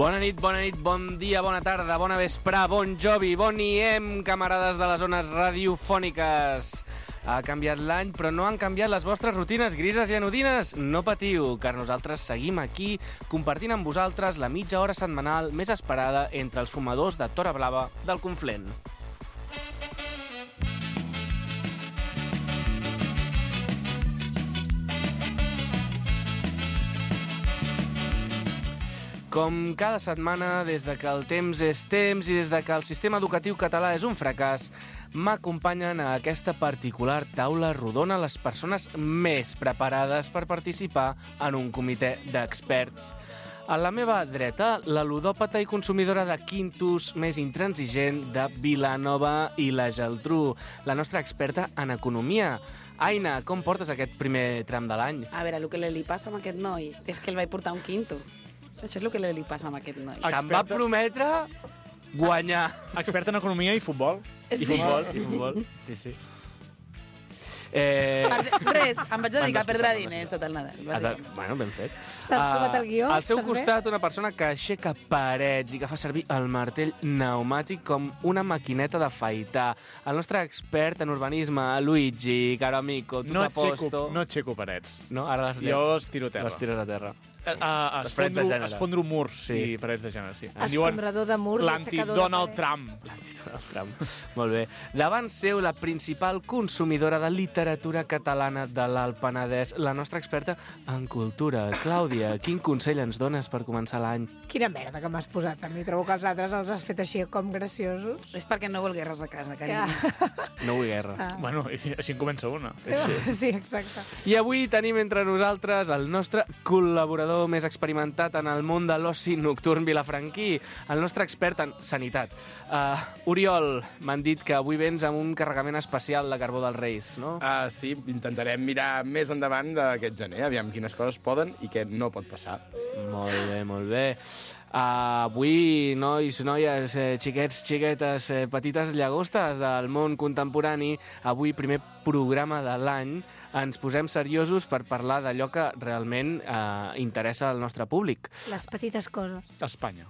Bona nit, bon dia, bona tarda, bona vesprà, bon jovi, bon iem, camarades de les zones radiofòniques. Ha canviat l'any, però no han canviat les vostres rutines grises i anodines. No patiu, car nosaltres seguim aquí compartint amb vosaltres la mitja hora setmanal més esperada entre els fumadors de Tora Blava del Conflent. Com cada setmana, des de que el temps és temps i des de que el sistema educatiu català és un fracàs, m'acompanyen a aquesta particular taula rodona les persones més preparades per participar en un comitè d'experts. A la meva dreta, la ludòpata i consumidora de quintos més intransigent de Vilanova i la Geltrú, la nostra experta en economia. Aina, com portes aquest primer tram de l'any? A veure, el que li passa amb aquest noi és que el vaig portar un quinto. Això és el que li passa amb aquest noi. Se'm va prometre guanyar. Expert en economia i futbol. I futbol. Sí. Res, em vaig dedicar a perdre diners tot el Nadal. Bueno, ben fet. T'has provat el guió? Al seu costat, una persona que aixeca parets i que fa servir el martell pneumàtic com una maquineta d'afaitar. El nostre expert en urbanisme, Luigi, caro amico, tu t'aposto. No aixeco parets. No? Ara jo els tiro a terra. Les tires a terra. Esfondro murs sí. I parets de gènere, sí. Esfondrador de murs, l'anti-Donald Trump. L'anti-Donald Trump. Molt bé. Davant seu, la principal consumidora de literatura catalana de l'Alt Penedès, la nostra experta en cultura. Clàudia, quin consell ens dones per començar l'any? Quina merda que m'has posat a mi. Trobo que els altres els has fet així com graciosos. És perquè no vol guerres a casa, carinyo. No vull guerra. Bueno, així en comença una. Sí, exacte. I avui tenim entre nosaltres el nostre col·laborador més experimentat en el món de l'oci nocturn vilafranquí, el nostre expert en sanitat. Oriol, m'han dit que avui vens amb un carregament especial de carbó dels Reis, no? Sí, intentarem mirar més endavant d'aquest gener, aviam quines coses poden i què no pot passar. Molt bé. Avui, nois, noies, xiquets, xiquetes, petites llagostes del món contemporani, avui, primer programa de l'any, ens posem seriosos per parlar d'allò que realment interessa al nostre públic. Les petites coses. Espanya.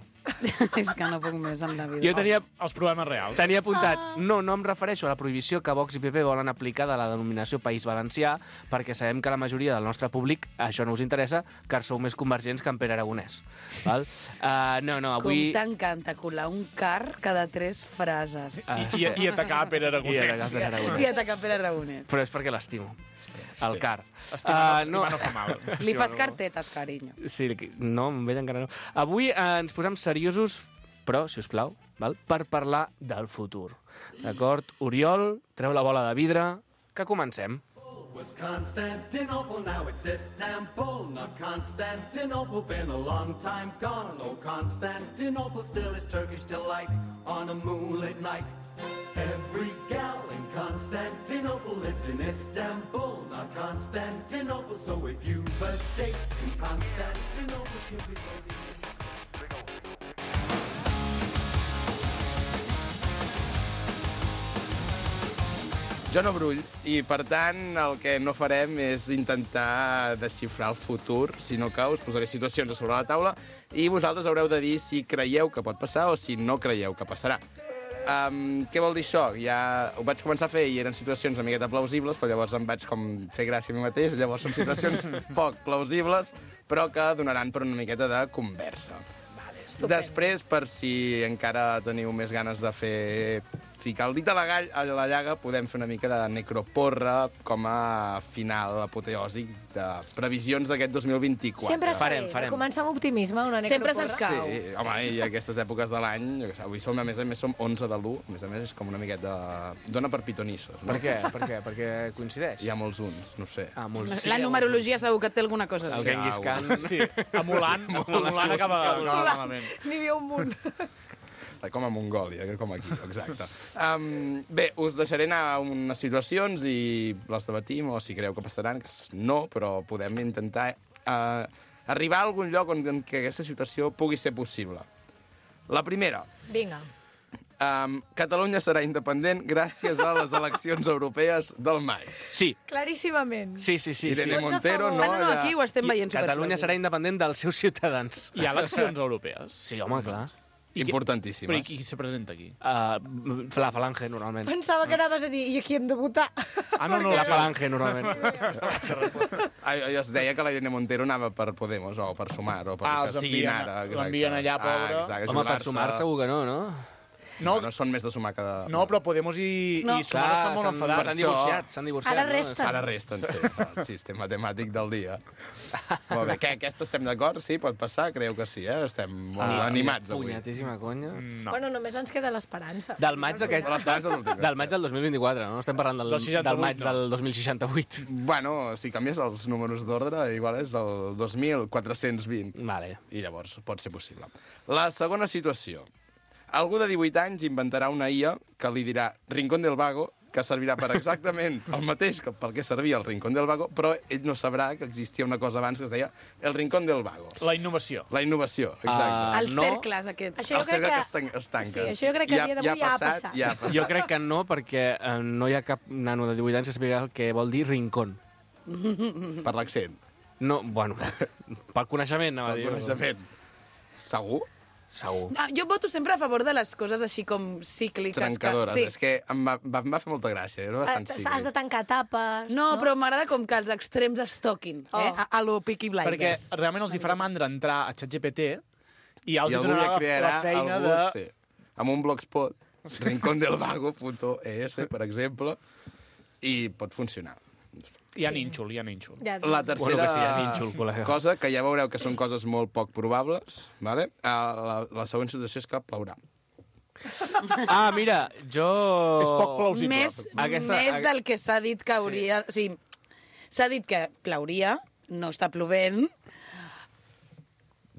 És que no puc més amb la vida. Jo tenia els problemes reals. Tenia apuntat, no em refereixo a la prohibició que Vox i PP volen aplicar de la denominació País Valencià, perquè sabem que la majoria del nostre públic això no us interessa, car sou més convergents que en Pere Aragonès. Val? No, avui... Com t'encanta colar un car cada 3 frases. I atacar Pere Aragonès. I atacar Pere Aragonès. Però és perquè l'estimo. El car. Estimar no fa mal. Li fas cartetes, carinyo. Sí, no, amb ell encara no. Avui ens posem seriosos, però, si us plau, val? Per parlar del futur. D'acord? Oriol, treu la bola de vidre, que comencem. Was Constantinople, now it's Istanbul, not Constantinople, been a long time gone. Oh, Constantinople still is Turkish delight on a moonlit night. Every gal in Constantinople lives in Istanbul, not Constantinople. So if you've a date in Constantinople, you'll be voting. Jo no brull, i per tant el que no farem és intentar desxifrar el futur, sinó que us posaré situacions a sobre la taula i vosaltres haureu de dir si creieu que pot passar o si no creieu que passarà. Què vol dir això? Ja ho vaig començar a fer i eren situacions una miqueta plausibles, però llavors em vaig com fer gràcia a mi mateix, llavors són situacions poc plausibles, però que donaran per una miqueta de conversa. Després, per si encara teniu més ganes de ficar el dit a la llaga, podem fer una mica de necroporra com a final apoteòsic de previsions d'aquest 2024. Sempre farem. Començar amb optimisme, una necroporra. Sempre s'escau. Sí, home, i aquestes èpoques de l'any, avui som, a més a més, som 11 de l'1, a més és com una miqueta... Dona per pitonissos, no? Per què? Perquè coincideix? Hi ha molts uns, no sé. Molts. La numerologia segur que té alguna cosa a El dir. Genghis Khan. Sí, a Mulan acaba malament. N'hi havia un munt. Com a Mongòlia, com aquí, exacte. Bé, us deixaré anar a unes situacions i les debatim, o si creu que passaran, que no, però podem intentar arribar a algun lloc en què aquesta situació pugui ser possible. La primera. Vinga. Catalunya serà independent gràcies a les eleccions europees del maig. Sí. Claríssimament. Sí. Irene Montero, no... No, aquí ho estem veient Catalunya serà independent dels seus ciutadans. Hi ha eleccions europees. Sí, home, clar. Importantíssimes. Però i qui se presenta aquí? La Falange, normalment. Pensava que anaves a dir, i aquí hem de votar. La Falange, normalment. Es deia que la Irene Montero anava per Podemos, o per Sumar, o per els que siguin envien- ara. l'envien allà, pobre. Exacte, Home, per jubilar-se. sumar segur que no, no? No, No són més de sumar que de... no, però Podemos i Sumar estan molt enfadats. S'han divorciat. Ara no? resten. Ara resten, sí, el sistema matemàtic del dia. Molt bé, què, aquesta estem d'acord? Sí, pot passar? Creieu que sí, eh? Estem molt animats avui. Punyetíssima conya. No. Bueno, només ens queda l'esperança. Del maig d'aquest... De l'esperança de l'últim. Del maig del 2024, no? Estem parlant Del 68, del maig no. del 2068. Bueno, si canvies els números d'ordre, igual és del 2420. Vale. I llavors pot ser possible. La segona situació. Algú de 18 anys inventarà una IA que li dirà Rincón del Vago, que servirà per exactament el mateix que pel que servia el Rincón del Vago, però ell no sabrà que existia una cosa abans que es deia el Rincón del Vago. La innovació. La innovació, exacte. Els no. cercles aquests. Això jo El crec cercle que... es tanca. Sí, això jo crec que a dia d'avui ja ha passat. Ja ha passat. Jo crec que no, perquè no hi ha cap nano de 18 anys que sàpiga el que vol dir rincón. Per l'accent, No, bueno, pel coneixement, anava a per dir. coneixement. Segur? Segur. Ah, jo voto sempre a favor de les coses així com cícliques. Trencadores. Sí. És que em va fer molta gràcia. Era bastant Has de cíclic. tancar etapes. No, però m'agrada com que els extrems es toquin, a lo Peaky Perquè Blinders. realment els hi farà mandra entrar a ChatGPT i ja els I hi algú donarà ja crearà la feina algú, de... sí, amb un blogspot, rincondelvago.es, per exemple, i pot funcionar. Hi ha nínxol, hi ha nínxol. Ja, La tercera que sí, ja nínxol, col·lega. cosa, que ja veureu que són coses molt poc probables, vale? La següent situació és que plourà. Ah, mira, jo... És poc plausible. Més del que s'ha dit que hauria... O sigui, s'ha dit que plauria, no està plovent.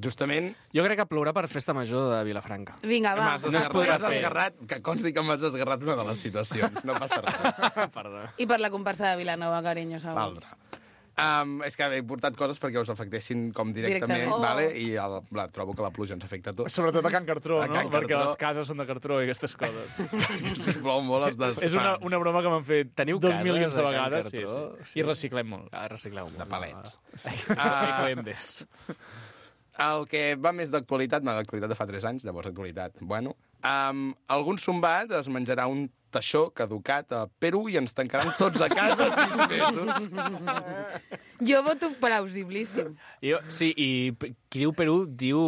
Justament, Jo crec que plourà per festa major de Vilafranca. Vinga, va. No es podrà fer. desgarrat, que consti que m'has desgarrat una de les situacions, no passa res. Perdó. I per la comparsa de Vilanova, carinyo, segur. L'altra. És que he portat coses perquè us afectessin com directament, Directament. vale? I trobo que la pluja ens afecta a tots. Sobretot a Can Cartró, A no? Can Perquè Cartró. les cases són de cartró i aquestes coses. Si plou molt es desfan. És una broma que m'han fet Teniu 2 cases milions de de Can vegades. Sí, Cartró? sí. I reciclem molt. Ah, recicleu molt. De palets. Ecoembes. El que va més d'actualitat, d'actualitat de fa 3 anys, llavors d'actualitat, bueno, algun sombat es menjarà un teixó caducat a Perú i ens tancaran tots a casa 6 mesos. Jo voto plausiblíssim. Sí, i qui diu Perú diu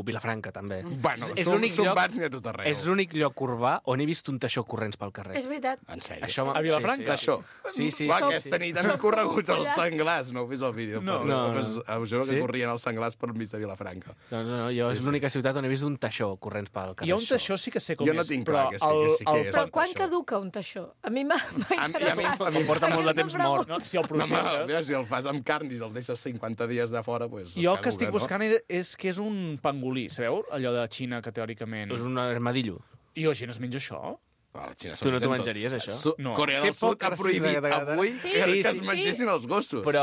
Vilafranca, també. Bueno, és l'únic lloc, sombats n'hi ha a tot arreu. és l'únic lloc urbà on he vist un teixó corrents pel carrer. És veritat. En sèrio? Això A Vilafranca? Teixó. Sí, sí. Va, sí, aquesta nit han corregut els senglars. No heu vist el vídeo? No. però, No. Pues, us juro que Sí? corrien els senglars per mig de Vilafranca. Doncs no, jo és l'única ciutat on he vist un teixó corrents pel carrer. Hi ha un teixó, sí que sé com Jo no és, tinc però clar que sí que és. Però quan teixó. caduca un teixó? A mi m'ha A mi interessat. em porta molt de temps mort. No, si el No, home, processes... si el fas amb carn i el deixes 50 dies de fora, pues, Jo el es que estic caduca, buscant és que és un pangolí, sabeu? Allò de Xina, que teòricament... És un armadillo. I la gent es menja això? A la Xina Tu no t'ho mengen tot. menjaries, això? No. Corea Que del Sud poc ha racista prohibit que t'agrada. avui Sí, que sí, es sí. mengessin els gossos. Però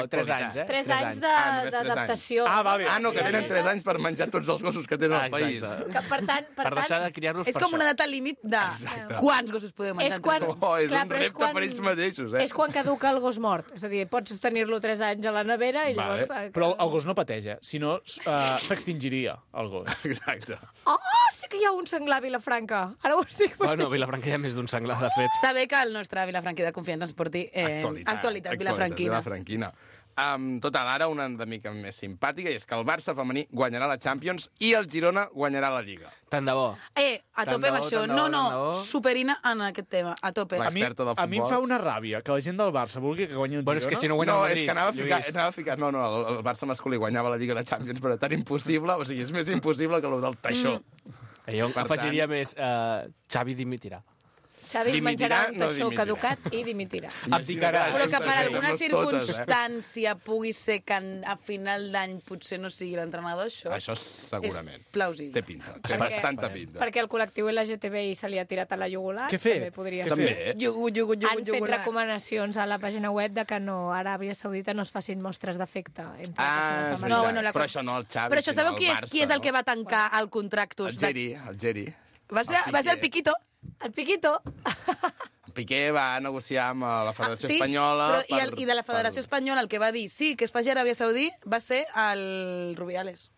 Sí. 3 anys, eh? 3 anys només 3 anys. d'adaptació. Ah, vale. Ah, no, que tenen 3 anys per menjar tots els gossos que tenen al país. Exacte. Que, per tant, Per deixar de criar-los És per com això. una data límit de quants gossos podeu menjar. És quan... Oh, és Clar, un però repte per ells mateixos, eh? És quan caduca el gos mort. És a dir, pots tenir-lo 3 anys a la nevera i Vale. llavors... Però el gos no pateix, si no s'extingiria, el gos. Exacte. Oh, sí que hi ha un senglar a Vilafranca. Ara ho estic... Bueno, a Vilafranca hi ha més d'un senglar, de fet. Està bé que el nostre Vilafranquí de confiança ens porti actualitat vilafranquina. Vilafranquina. Total, ara una de mica més simpàtica, i és que el Barça femení guanyarà la Champions i el Girona guanyarà la Lliga. Tant de bo. A Tant tope de amb bo, això. tant de bo, tant de No, bo. superina en aquest tema. A tope. Va. Experta del A mi em futbol. fa una ràbia que la gent del Barça vulgui que guanyi el Bueno, és Girona. que si no guanya No, el és Madrid, que anava a Lluís. ficar... No, el Barça masculí guanyava la Lliga i la Champions, però tan impossible, o sigui, és més impossible que el del teixó. Jo Per afegiria més... Xavi dimitirà. Xavi es Dimitirà, menjarà un no teixó dimitirà. caducat i dimitirà. Abdicarà. Però que per Sí, alguna fem-les totes, circumstància pugui ser que a final d'any potser no sigui l'entrenador, Això segurament. és plausible. Té pinta. Té Perquè- bastanta pinta. Perquè el col·lectiu LGTBI se li ha tirat a la jugular. Què fer? També podria Què ser. També. Han fet recomanacions a la pàgina web de que no, a Aràbia Saudita no es facin mostres d'afecte entre persones de no, bueno, la però cosa- això no el Xavi, Però això sinó sabeu el qui és, Barça, qui és el no? que va tancar el contractus? El Geri. Va ser el Piquito. El Piquito. Piqué va negociar amb la Federació Espanyola... I de la Federació Espanyola el que va dir sí, que es faci a Aràbia Saudí va ser el Rubiales.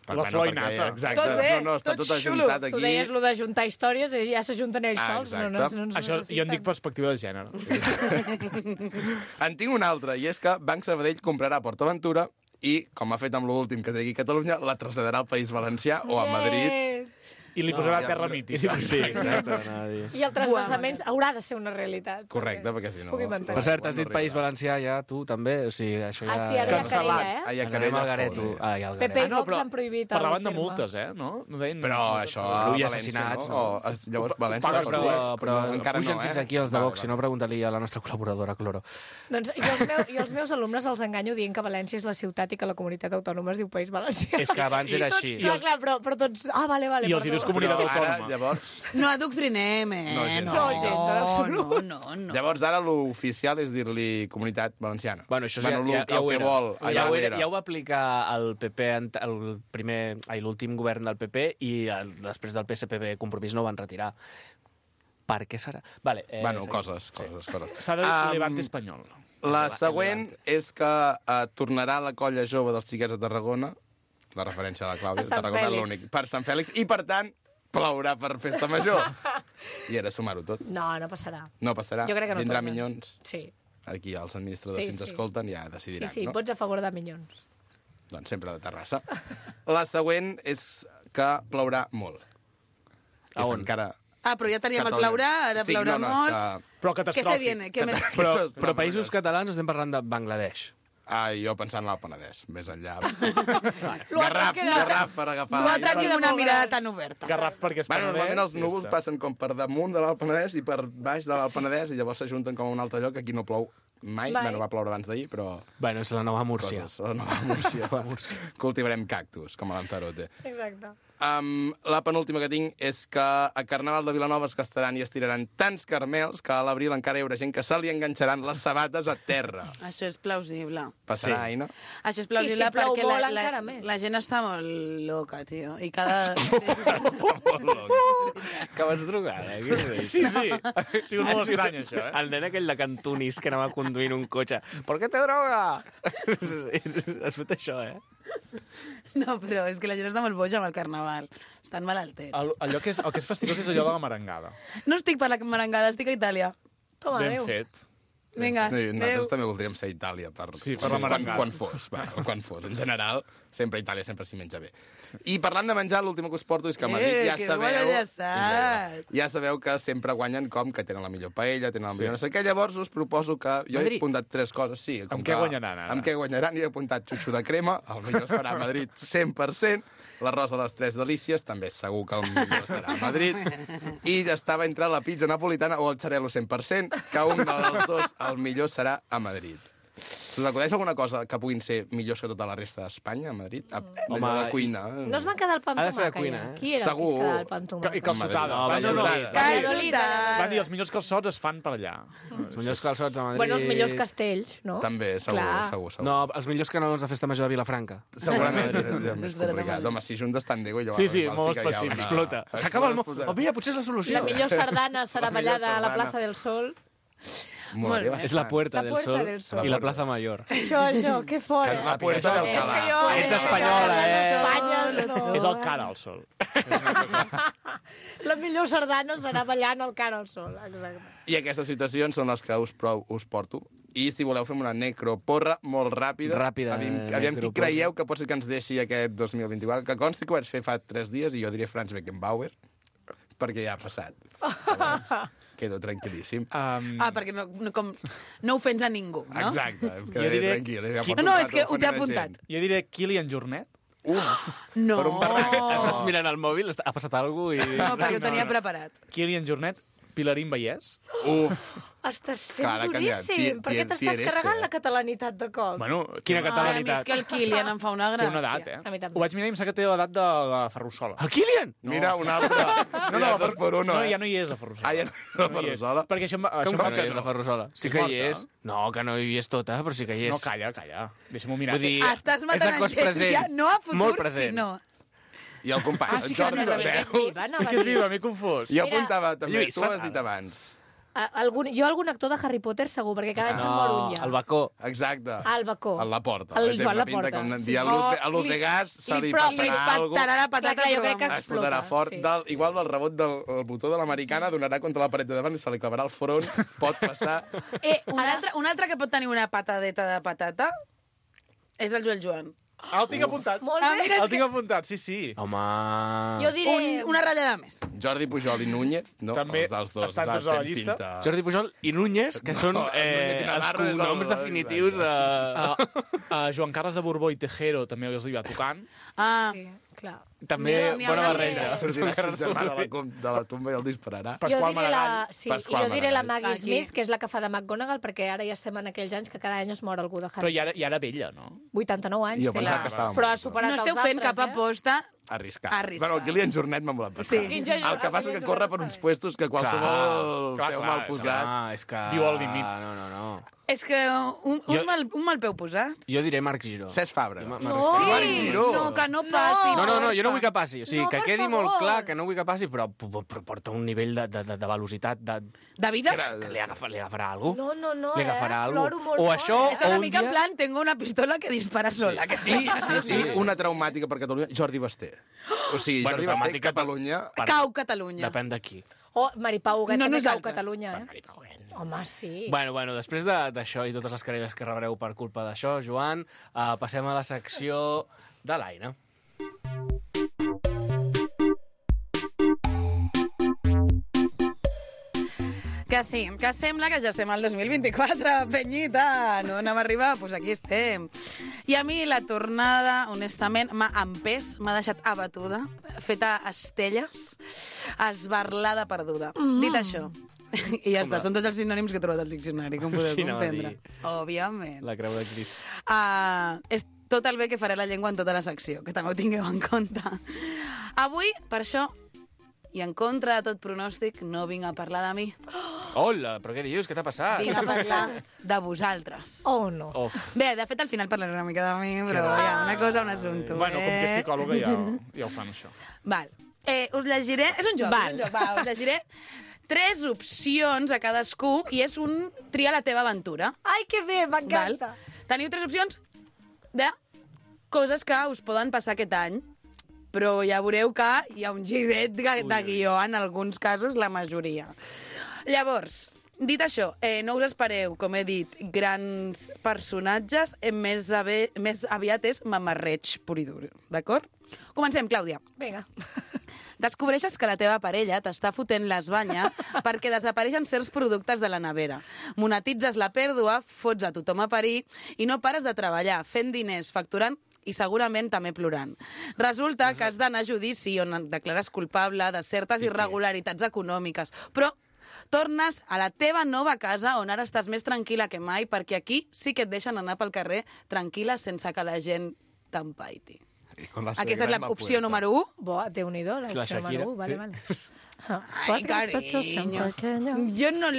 La flor i nata. Exacte. Tot bé, està tot tot xulo. ajuntat aquí. Tu deies lo de juntar històries i ja s'ajunten ells sols. exacte. Això jo en dic perspectiva de gènere. En tinc una altra, i és que Banc Sabadell comprarà PortAventura i, com ha fet amb l'últim que té aquí a Catalunya, la traslladarà al País Valencià o a Madrid. I li posarà terra mítica. Sí, exacte. I el trasplaçament haurà de ser una realitat. Correcte, perquè si no... Pugui mantenir. Per cert, has dit País Valencià ja, tu també? O sigui, això ja... Ah, sí, ara hi ha Cancel·lat. querella, Ai, a Anem querella, al Gareto. joder. Ai, al PP Gareto. i Vox han prohibit el Parlaven de terme. multes, no? No deien... Però això a I València, assassinats, no? O, llavors, València... Pagues Però encara pugen no, fins aquí els de Vox, si no pregunta-li a la nostra col·laboradora, Cloro. Doncs i els meus alumnes els enganyo dient que València és la ciutat i que la comunitat autònoma es diu País Valencià. És que abans era així. Clar, però tots... Ah, vale, I els hi dius comunitat Però ara, autònoma. llavors... No adoctrinem, No, gens. No. Llavors ara l'oficial és dir-li Comunitat Valenciana. Bueno, això bueno, ja el ho que era. vol. Ja ho era. va aplicar el PP, l'últim govern del PP, i després del PSPB Compromís no ho van retirar. Per què serà? Vale, Bueno, sí. coses. S'ha de dir Levante espanyol. La següent és que tornarà la colla jove dels xiquets de Tarragona, la referència a la Clàudia, A Sant Tarragona és Fèlix. l'únic, per Sant Fèlix, i per tant plourà per Festa Major. I era sumar-ho tot. No, no passarà. No passarà. Jo crec que no Vindrà tornen. Minyons. Sí. Aquí els administradors, si ens escolten, ja decidiran, Sí, no? vots a favor de Minyons. Doncs sempre de Terrassa. La següent és que plourà molt. A on? Encara... Ah, però ja teníem el Catalunya. plourà, ara Sí, plourà no, molt. és que... Però Què se catastròfic. viene? Què més? Però països catalans estem parlant de Bangladesh. Ah, jo pensant en el Penedès, més enllà. L'Uatar queda- Garraf per agafar No l'aire. tenim una mirada tan oberta. Garraf perquè és Bueno, Penedès. normalment els i ja núvols està. passen com per damunt de l'Alt Penedès i per baix de l'Alt Penedès i llavors s'ajunten com a un altre lloc. Aquí no plou mai. Mai. Bueno, va ploure abans d'ahir, però... Bueno, és la nova Múrcia. Coses. La nova Múrcia. Cultivarem cactus, com a Lanzarote. Exacte. La penúltima que tinc és que a Carnaval de Vilanova es gastaran i estiraran tants caramels que a l'abril encara hi haurà gent que se li enganxaran les sabates a terra. Això és plausible. Passarà, Sí. Aina? Això és plausible I si plou perquè molt, encara més. la gent està molt loca, tio. I cada... Que vas drogada, què és Sí, sí. Ha sigut molt estrany, això, eh? El nen aquell de Cantunis que anava conduint un cotxe. ¿Por qué te droga? Has fet això, eh? No, però és que la gent està molt boja amb el carnaval. Estan malaltets. El que és fastigós és allò de la merengada. No estic per la merengada, estic a Itàlia. Toma, Ben adéu. fet. Vinga, adéu. Nosaltres també voldríem ser a Itàlia per, Sí, per la merengada. quan fos. Quan fos. En general, sempre a Itàlia sempre s'hi menja bé. I parlant de menjar, l'última que us porto és que a Madrid ja que sabeu... enllaçat. Ja sabeu que sempre guanyen com que tenen la millor paella, tenen la millor no sé què. Llavors us proposo que... Jo he apuntat 3 coses, sí. Com Amb què guanyaran, ara? Amb què guanyaran? I he apuntat xutxo de crema, el millor es farà a Madrid 100%, l'arròs a les 3 delícies, també segur que el millor serà a Madrid, i estava entre la pizza napolitana o el xarel·lo 100%, que un dels dos, el millor serà a Madrid. Us acudeix alguna cosa que puguin ser millors que tota la resta d'Espanya, a Madrid? Home, Allò de cuina. No es van quedar el pa amb Ha de ser de tomàquet, cuina, ja? eh? Qui era el que Segur. es quedava el pa amb I tomàquet? calçotada. No, No, no. calçotada. Van dir, els millors calçots es fan per allà. Els millors calçots a Madrid... Bueno, els millors castells, no? També, segur, Clar. segur. No, els millors canelons de festa major de Vilafranca. Segurament és més complicat. Home, si juntes tant d'ego, llavors... Sí, sí, igual molt que hi ha específic. una- Explota. S'acaba el món. Oh, mira, potser és la solució. La millor sardana serà La millor ballada a la sardana. Plaça del Sol. Molaria Molt bé. És la Puerta, La del, Puerta Sol del Sol. i la Plaza Mayor. Això, que fora. La Puerta del És que Calà. jo... Ets espanyola, Espanya, no. És el cara al sol. La millor sardana serà ballant al cara al sol. Exacte. I aquestes situacions són les que us porto. I si voleu fem una necroporra molt ràpida. Ràpida, Aviam qui necroporra. creieu que pot ser que ens deixi aquest 2024. Que consti que ho vaig fer fa 3 dies i jo diria Franz Beckenbauer, perquè ja ha passat. Llavors, quedo tranquil·líssim. Ah, perquè no ofens a ningú, no? Exacte, quedaré Jo diré- tranquil. Ja No, no, és que ho t'he apuntat. Jo diré Kilian Jornet. No. Per un barrac. Estàs mirant el mòbil, ha passat alguna cosa i... No, perquè ho tenia preparat. Kilian Jornet, Pilarín Vallès. Estàs sent Clar, duríssim. Per què t'estàs carregant la catalanitat de cop? Bueno, quina Ai, a mi és catalanitat. que el Kilian em fa una Té gràcia. una edat, eh? A mi també. Ho vaig mirar i em sembla que té l'edat de la Ferrusola. El Kilian! Mira, un altre. No, no, dos per uno, No, eh? ja no hi és la Ferrusola. Ah, ja no hi és la Ferrusola? Perquè això, Com això que no hi és la Ferrusola? Sí És que hi morta. és. No, que no hi és tota, però sí que hi és. No, calla, calla. Deixa'm-ho mirar. Vull dir, Estàs és matant de cos gent, present. ja, no a futur, Molt present. sinó... I el company, sí el que Jordi no de és veu. viva, no? Sí que és viva, m'he confós. Jo apuntava també, Lluís, tu ho has fatal. dit abans. Jo algun actor de Harry Potter segur, perquè cada any se'n mor un ja. el bacó. Exacte. El bacó. A la porta. El Té Joan una Laporta, pinta que sí. a l'Otegas se li Però li passarà alguna patarà la patata, Clar, jo però crec que vamos. explotarà fort. sí. Igual el rebot del botó de l'americana donarà contra la paret de davant i se li clavarà al front. Pot passar. Un altre que pot tenir una patadeta de patata és el Joan. El tinc apuntat. Molt bé. mira, El tinc apuntat, sí. Home... Jo diré... Una ratllada més. Jordi Pujol i Núñez, no? També Els dos. estan tots a la tenen llista. pinta. Jordi Pujol i Núñez, que són Núñez i els Navarro és el- cognoms definitius de... Joan Carles de Borbó i Tejero també els hi va tocant. Ah, Sí, clar. També N'hi bona haurà barreja. més. Sortirà el germà de la tomba i el dispararà. Pasqual jo diré Maragall. Sí, Pasqual jo diré la Maragall. Maggie Aquí. Smith, que és la que fa de McGonagall, perquè ara ja estem en aquells anys que cada any es mor algú de Però Harry. ja era vella, no? 89 anys Jo té. pensava que estava Però ha molt, superat no esteu els fent altres, cap aposta. Arriscat. Arriscat. Bueno, el Kilian Jornet m'ha molat bastant. Sí. El que passa és que corre per uns puestos que qualsevol Clar, peu clar, mal posat. Ah, és que... Viu al límit. No. És que un mal peu posat. Jo diré Marc Giró. Cesc Fabra. No, Marc Giró. No, que no passi. No, jo no vull que passi. O sigui, No, que per quedi favor. molt clar que no vull que passi, però porta un nivell de velocitat De vida? que li agafarà algú. No, Li agafarà algú. Ploro molt O fort, això, És una o un mica en dia... plan, tengo una pistola que dispara sola. Que sí. Sí, una traumàtica per Catalunya, Jordi Basté. O sigui, Bueno, Jordi Basté, traumàtica per- Catalunya... Cau Catalunya. Depèn de qui. O Maripau Huguet No també cau a nosaltres. Catalunya, Home, sí. Bueno, després d'això i totes les querelles que rebreu per culpa d'això, Joan, passem a la secció de l'Aina. Que sí, que sembla que ja estem al 2024, penyita. No anem a arribar? Doncs pues aquí estem. I a mi la tornada, honestament, m'ha empès, m'ha deixat abatuda, feta estelles, esbarlada perduda. Dit això, i ja està, són tots els sinònims que he trobat al diccionari, com podeu Sí, anava a comprendre. dir. Òbviament. La creu de Crist. És tot el bé que faré la llengua en tota la secció, que també ho tingueu en compte. Avui, per això, i en contra de tot pronòstic, no vinc a parlar de mi, Hola, però què dius? Què t'ha passat? vinc a parlar de vosaltres. Oh, no. Of. Bé, de fet, al final parlaré una mica de mi, però ja, una cosa, un assumpte. Bueno, com que és psicòloga ja ho fan, això. Val. Us llegiré... És un joc, Val. és un joc. Va, us llegiré 3 opcions a cadascú i és un tria la teva aventura. Ai, que bé, m'encanta. Teniu 3 opcions de coses que us poden passar aquest any, però ja veureu que hi ha un giret de guió en alguns casos, la majoria. Llavors, dit això, no us espereu, com he dit, grans personatges, més aviat és mamarreig pur i dur, d'acord? Comencem, Clàudia. Vinga. Descobreixes que la teva parella t'està fotent les banyes perquè desapareixen certs productes de la nevera. Monetitzes la pèrdua, fots a tothom a parir i no pares de treballar, fent diners, facturant i segurament també plorant. Resulta que has d'anar a judici on et declares culpable de certes irregularitats econòmiques, però tornes a la teva nova casa on ara estàs més tranquil·la que mai perquè aquí sí que et deixen anar pel carrer tranquil·la sense que la gent t'empaiti. Aquesta és l'opció número 1. Bo, Déu-n'hi-do, La l'opció Shakira, número 1, vale, sí. vale. Ai, carinyo. Jo no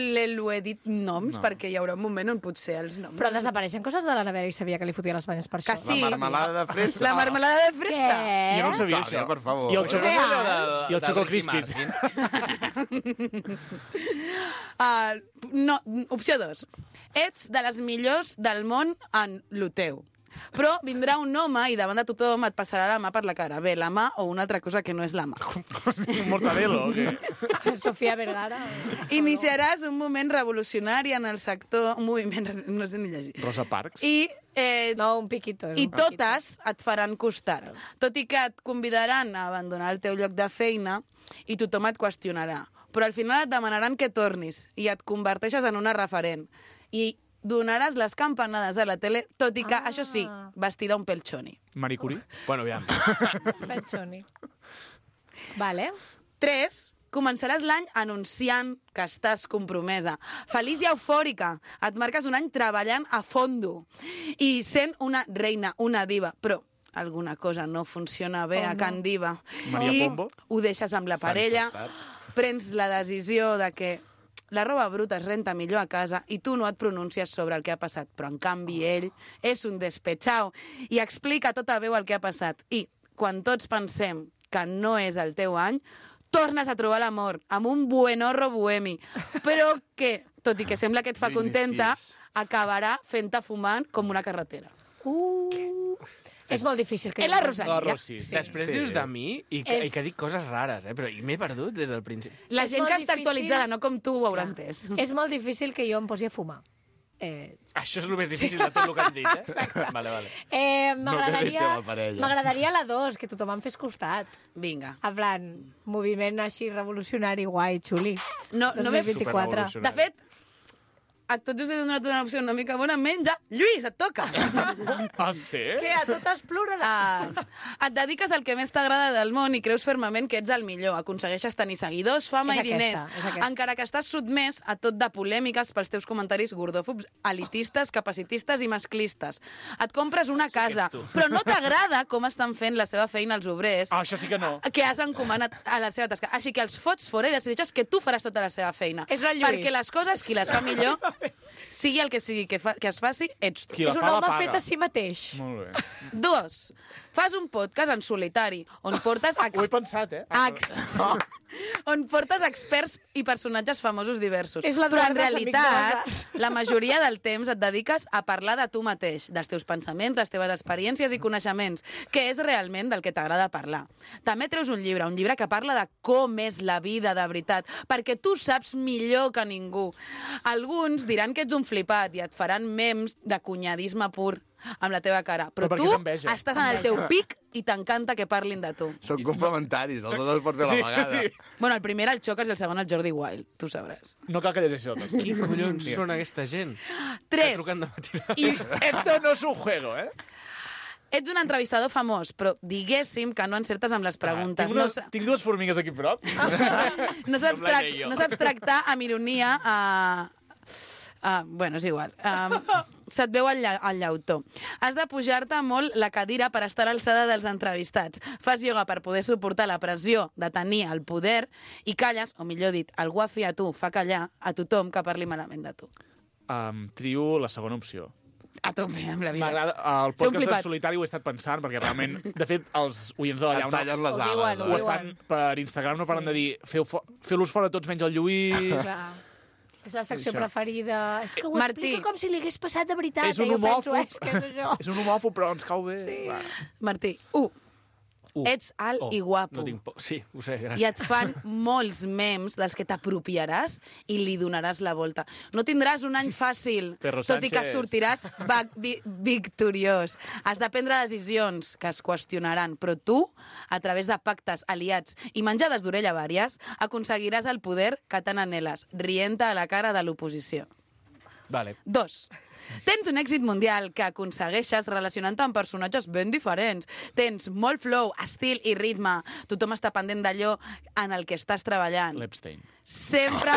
he dit noms perquè hi haurà un moment on potser els noms... Però desapareixen coses de la nevera i sabia que li fotia les banyes per Que això. sí. La marmelada de fresa. La marmelada de fresa. Què? Jo no ho sabia, Clàudia, això. per favor. I el xoco, Real. i el xoco crispis. No, opció 2. Ets de les millors del món en lo teu. Però vindrà un home i davant de tothom et passarà la mà per la cara. Bé, la mà o una altra cosa que no és la mà. Un mortadelo, o què? Sofia Vergara. Iniciaràs un moment revolucionari en el sector... Un moviment, no sé ni llegir. Rosa Parks. I No, un piquito. és I un piquito. totes et faran costat. Tot i que et convidaran a abandonar el teu lloc de feina i tothom et qüestionarà. Però al final et demanaran que tornis i et converteixes en una referent. I donaràs les campanades a la tele, tot i que, això sí, vestida un pèl xoni. Marie Curie. Bueno, aviam. Pechoni. Vale. 3. Començaràs l'any anunciant que estàs compromesa. Feliç i eufòrica. Et marques un any treballant a fondo. I sent una reina, una diva. Però alguna cosa no funciona bé a Can Diva. Maria I Pombo? ho deixes amb la parella, prens la decisió de que la roba bruta es renta millor a casa i tu no et pronuncies sobre el que ha passat. Però, en canvi, ell és un despechao i explica a tota veu el que ha passat. I, quan tots pensem que no és el teu any, tornes a trobar l'amor amb un buenorro bohemi, però que, tot i que sembla que et fa contenta, acabarà fent-te fumant com una carretera. És molt difícil que... És la Rosalia. Després dius de mi i que dic coses rares, però m'he perdut des del principi. La gent que està actualitzada, no com tu, ho haurà entès. És molt difícil que jo em posi a fumar. Això és el més difícil de tot el que han dit, eh? Vale. M'agradaria la 2, que tothom em fes costat. Vinga. En plan, moviment així revolucionari, guai, xuli. No m'he 24. De fet, a tots us he donat una opció una mica bona, menja. Lluís, et toca. Ah, sí? Què, a totes ploraràs? Et dediques al que més t'agrada del món i creus fermament que ets el millor. Aconsegueixes tenir seguidors, fama i diners. Encara que estàs sotmès a tot de polèmiques pels teus comentaris gordòfobs, elitistes, capacitistes i masclistes. Et compres una casa, però no t'agrada com estan fent la seva feina els obrers. Ah, això sí que no. Que has encomanat a la seva tasca. Així que els fots fora i decideixes que tu faràs tota la seva feina. És el Lluís. Perquè les coses, qui les fa millor, sigui el que sigui que es faci, ets tu. Qui la És un fa, la home paga. fet a si mateix. Molt bé. 2. Fas un podcast en solitari, on portes... Ho he pensat, on portes experts i personatges famosos diversos. És Però en l'Eduard dels realitat, Amics la majoria del temps et dediques a parlar de tu mateix, dels teus pensaments, les teves experiències i coneixements, que és realment del que t'agrada parlar. També treus un llibre que parla de com és la vida de veritat, perquè tu saps millor que ningú. Alguns diran que ets un flipat i et faran memes de cunyadisme pur amb la teva cara. Però perquè tu és enveja. estàs en el teu pic i t'encanta que parlin de tu. Són complementaris, els dos pots fer a la vegada. Sí. Bueno, el primer era el Xocas i el segon el Jordi Wild, tu sabràs. No cal que llegeixi això. Qui collons són aquesta gent? 3. Trucant de matinada. I Esto no es un juego, eh? ets un entrevistador famós, però diguéssim que no encertes amb les preguntes. Tinc dues formigues aquí a prop. No saps tractar amb ironia bueno, és igual. Se't veu el llautó. Has de pujar-te molt la cadira per estar a l'alçada dels entrevistats. Fas ioga per poder suportar la pressió de tenir el poder i calles, o millor dit, el guafi a tu fa callar a tothom que parli malament de tu. Trio la segona opció. A tope amb la vida. M'agrada, el Ser un podcast flipat. en solitari ho he estat pensant, perquè realment, de fet, els oients de la Et llauna tallen les Ho diuen, ales. ho estan per Instagram, no paren de dir feu-los fora tots menys el Lluís. Clar. És la secció Això. preferida. És que ho Martí. explica com si li hagués passat de veritat. És un Jo penso, homòfob. és que és això. És un homòfob, però ens cau bé. Sí. Va. Martí, ets alt i guapo. No tinc por. Sí, ho sé, I gràcies. et fan molts memes dels que t'apropiaràs i li donaràs la volta. No tindràs un any fàcil, Perro tot i que Sánchez. sortiràs victoriós. Has de prendre decisions que es qüestionaran, però tu, a través de pactes, aliats i menjades d'orella vàries, aconseguiràs el poder que tant anheles, rient a la cara de l'oposició. Vale. 2. Tens un èxit mundial que aconsegueixes relacionant-te amb personatges ben diferents. Tens molt flow, estil i ritme. Tothom està pendent d'allò en el que estàs treballant. L'Epstein. Sempre...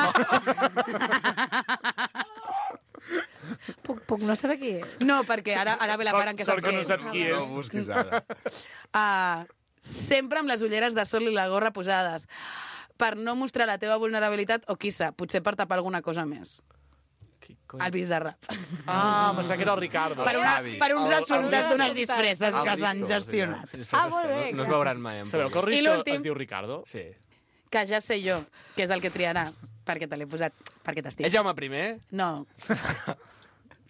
Puc no saber qui és. No, perquè ara ve la part en què Sort saps que què no és. saps qui No és. ho busquis ara. Sempre amb les ulleres de sol i la gorra posades. Per no mostrar la teva vulnerabilitat, o qui sap, potser per tapar alguna cosa més. El Bizarrap. Pensava que era el Ricardo. Per uns assumptes d'unes disfresses que s'han Risto, gestionat. Molt bé. No es veuran mai. En Sabeu que el I Risto l'últim? es diu Ricardo? Sí. Que ja sé jo, que és el que triaràs, perquè te l'he posat, perquè És t'estic. Jaume I? No.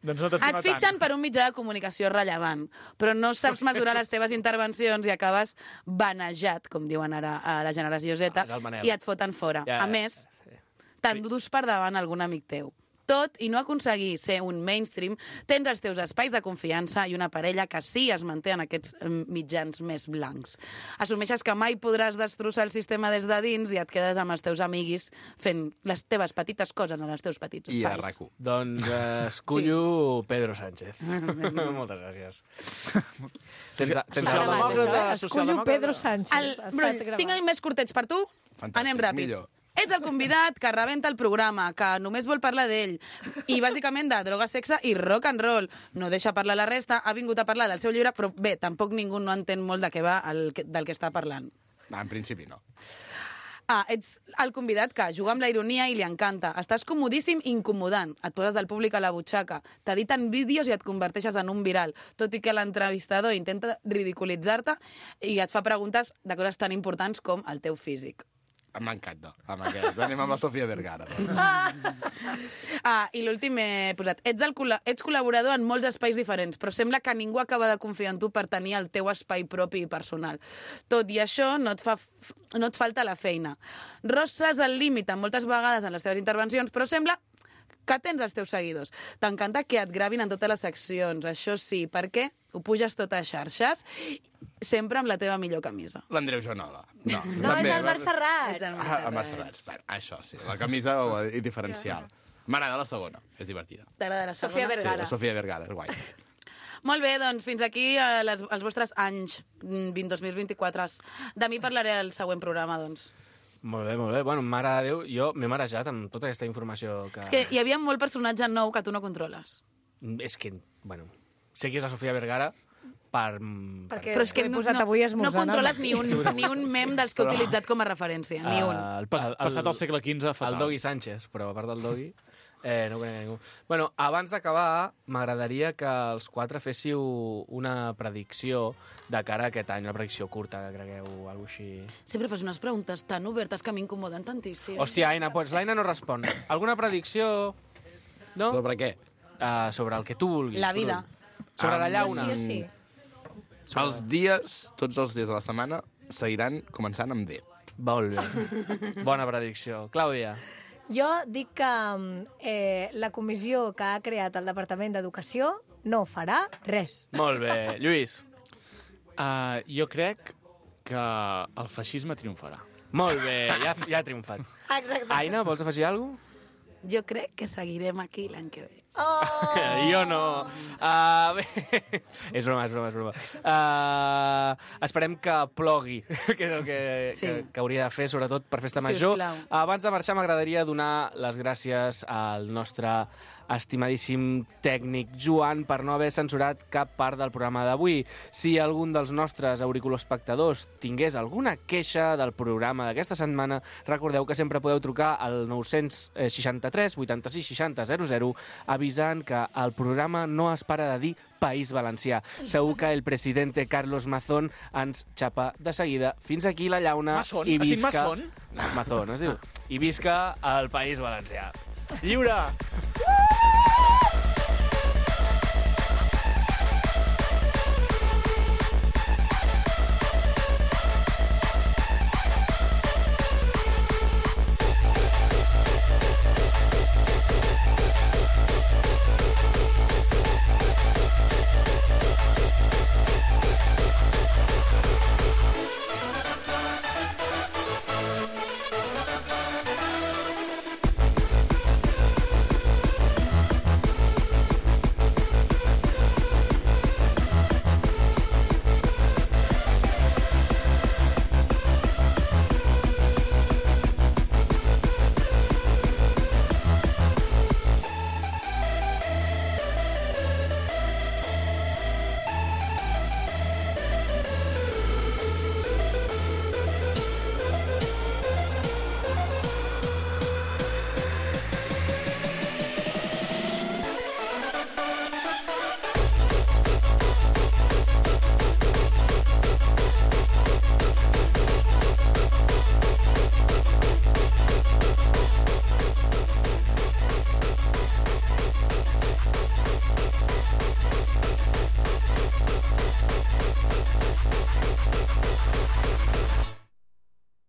Doncs no t'estima Et fitxen tant. per un mitjà de comunicació rellevant, però no saps mesurar les teves intervencions i acabes vanejat, com diuen ara a la generació Z, és el Manel. i et foten fora. Ja, A més, t'endús per davant algun amic teu. Tot i no aconseguir ser un mainstream, tens els teus espais de confiança i una parella que sí es manté en aquests mitjans més blancs. Assumeixes que mai podràs destrossar el sistema des de dins i et quedes amb els teus amiguis fent les teves petites coses en els teus petits I a espais. RAC1. Doncs escullo Pedro Sánchez. Moltes gràcies. Tens Socialdemòcrata, Escullo Pedro Sánchez. Brull, tinc més curtets per tu? Fantàstic, Anem ràpid. millor. Ets el convidat que rebenta el programa, que només vol parlar d'ell, i bàsicament de droga, sexe i rock and roll. No deixa parlar la resta, ha vingut a parlar del seu llibre, però bé, tampoc ningú no entén molt de què va del que està parlant. No, en principi no. Ets el convidat que juga amb la ironia i li encanta. Estàs comodíssim i incomodant. Et poses del públic a la butxaca. T'editen vídeos i et converteixes en un viral, tot i que l'entrevistador intenta ridiculitzar-te i et fa preguntes de coses tan importants com el teu físic. M'encanta, amb aquest. Anem amb la Sofia Vergara. I l'últim he posat. Ets col·laborador en molts espais diferents, però sembla que ningú acaba de confiar en tu per tenir el teu espai propi i personal. Tot i això, no et falta la feina. Rosses el límit moltes vegades en les teves intervencions, però sembla que tens els teus seguidors. T'encanta que et gravin en totes les seccions, això sí, perquè ho puges tot a xarxes, sempre amb la teva millor camisa. L'Andreu Joanola. No, és el Marc Serrats. El Marc Serrats. Bueno, això sí, la camisa és diferencial. M'agrada la segona, és divertida. T'agrada la segona? Sofia Vergara. Sí, la Sofia Vergara, és guai. Molt bé, doncs fins aquí els vostres anys 2024. De mi parlaré al següent programa, doncs. Molt bé, molt bé. Bueno, mare de Déu, jo m'he marejat amb tota aquesta informació que... És que hi havia molt personatge nou que tu no controles. És que, bueno, sé que és la Sofia Vergara per... Perquè Però és que he posat avui esmorzant. no controles ni un mem dels que he utilitzat com a referència, ni un. Passat el segle XV, fatal. El Dogui Sánchez, però a part del Dogui... no conec ningú. Bueno, abans d'acabar, m'agradaria que els quatre féssiu una predicció de cara a aquest any, una predicció curta, que cregueu, o alguna cosa així. Sempre fas unes preguntes tan obertes que m'incomoden tantíssim. Hòstia, Aina, doncs l'Aina no respon. Alguna predicció? No? Sobre què? Sobre el que tu vulguis. La vida. Sobre la llauna. Sí. Els dies, tots els dies de la setmana, seguiran començant amb D. Molt bé. Bona predicció. Clàudia. Jo dic que la comissió que ha creat el Departament d'Educació no farà res. Molt bé. Lluís. Jo crec que el feixisme triomfarà. Molt bé, ja ha triomfat. Exacte. Aina, vols afegir alguna cosa? Jo crec que seguirem aquí l'any que ve. Jo no. Bé, és broma. Esperem que plogui, que és el que hauria de fer, sobretot per festa major. Sisplau. Abans de marxar, m'agradaria donar les gràcies al nostre estimadíssim tècnic Joan per no haver censurat cap part del programa d'avui. Si algun dels nostres auriculoespectadors tingués alguna queixa del programa d'aquesta setmana, recordeu que sempre podeu trucar al 963 86 60 00 avisant que el programa no es para de dir País Valencià. Segur que el presidente Carlos Mazón ens xapa de seguida. Fins aquí la llauna. Mazón? I Has dit visca... Mazón? Mazón, es diu. I visca el País Valencià. Lliure!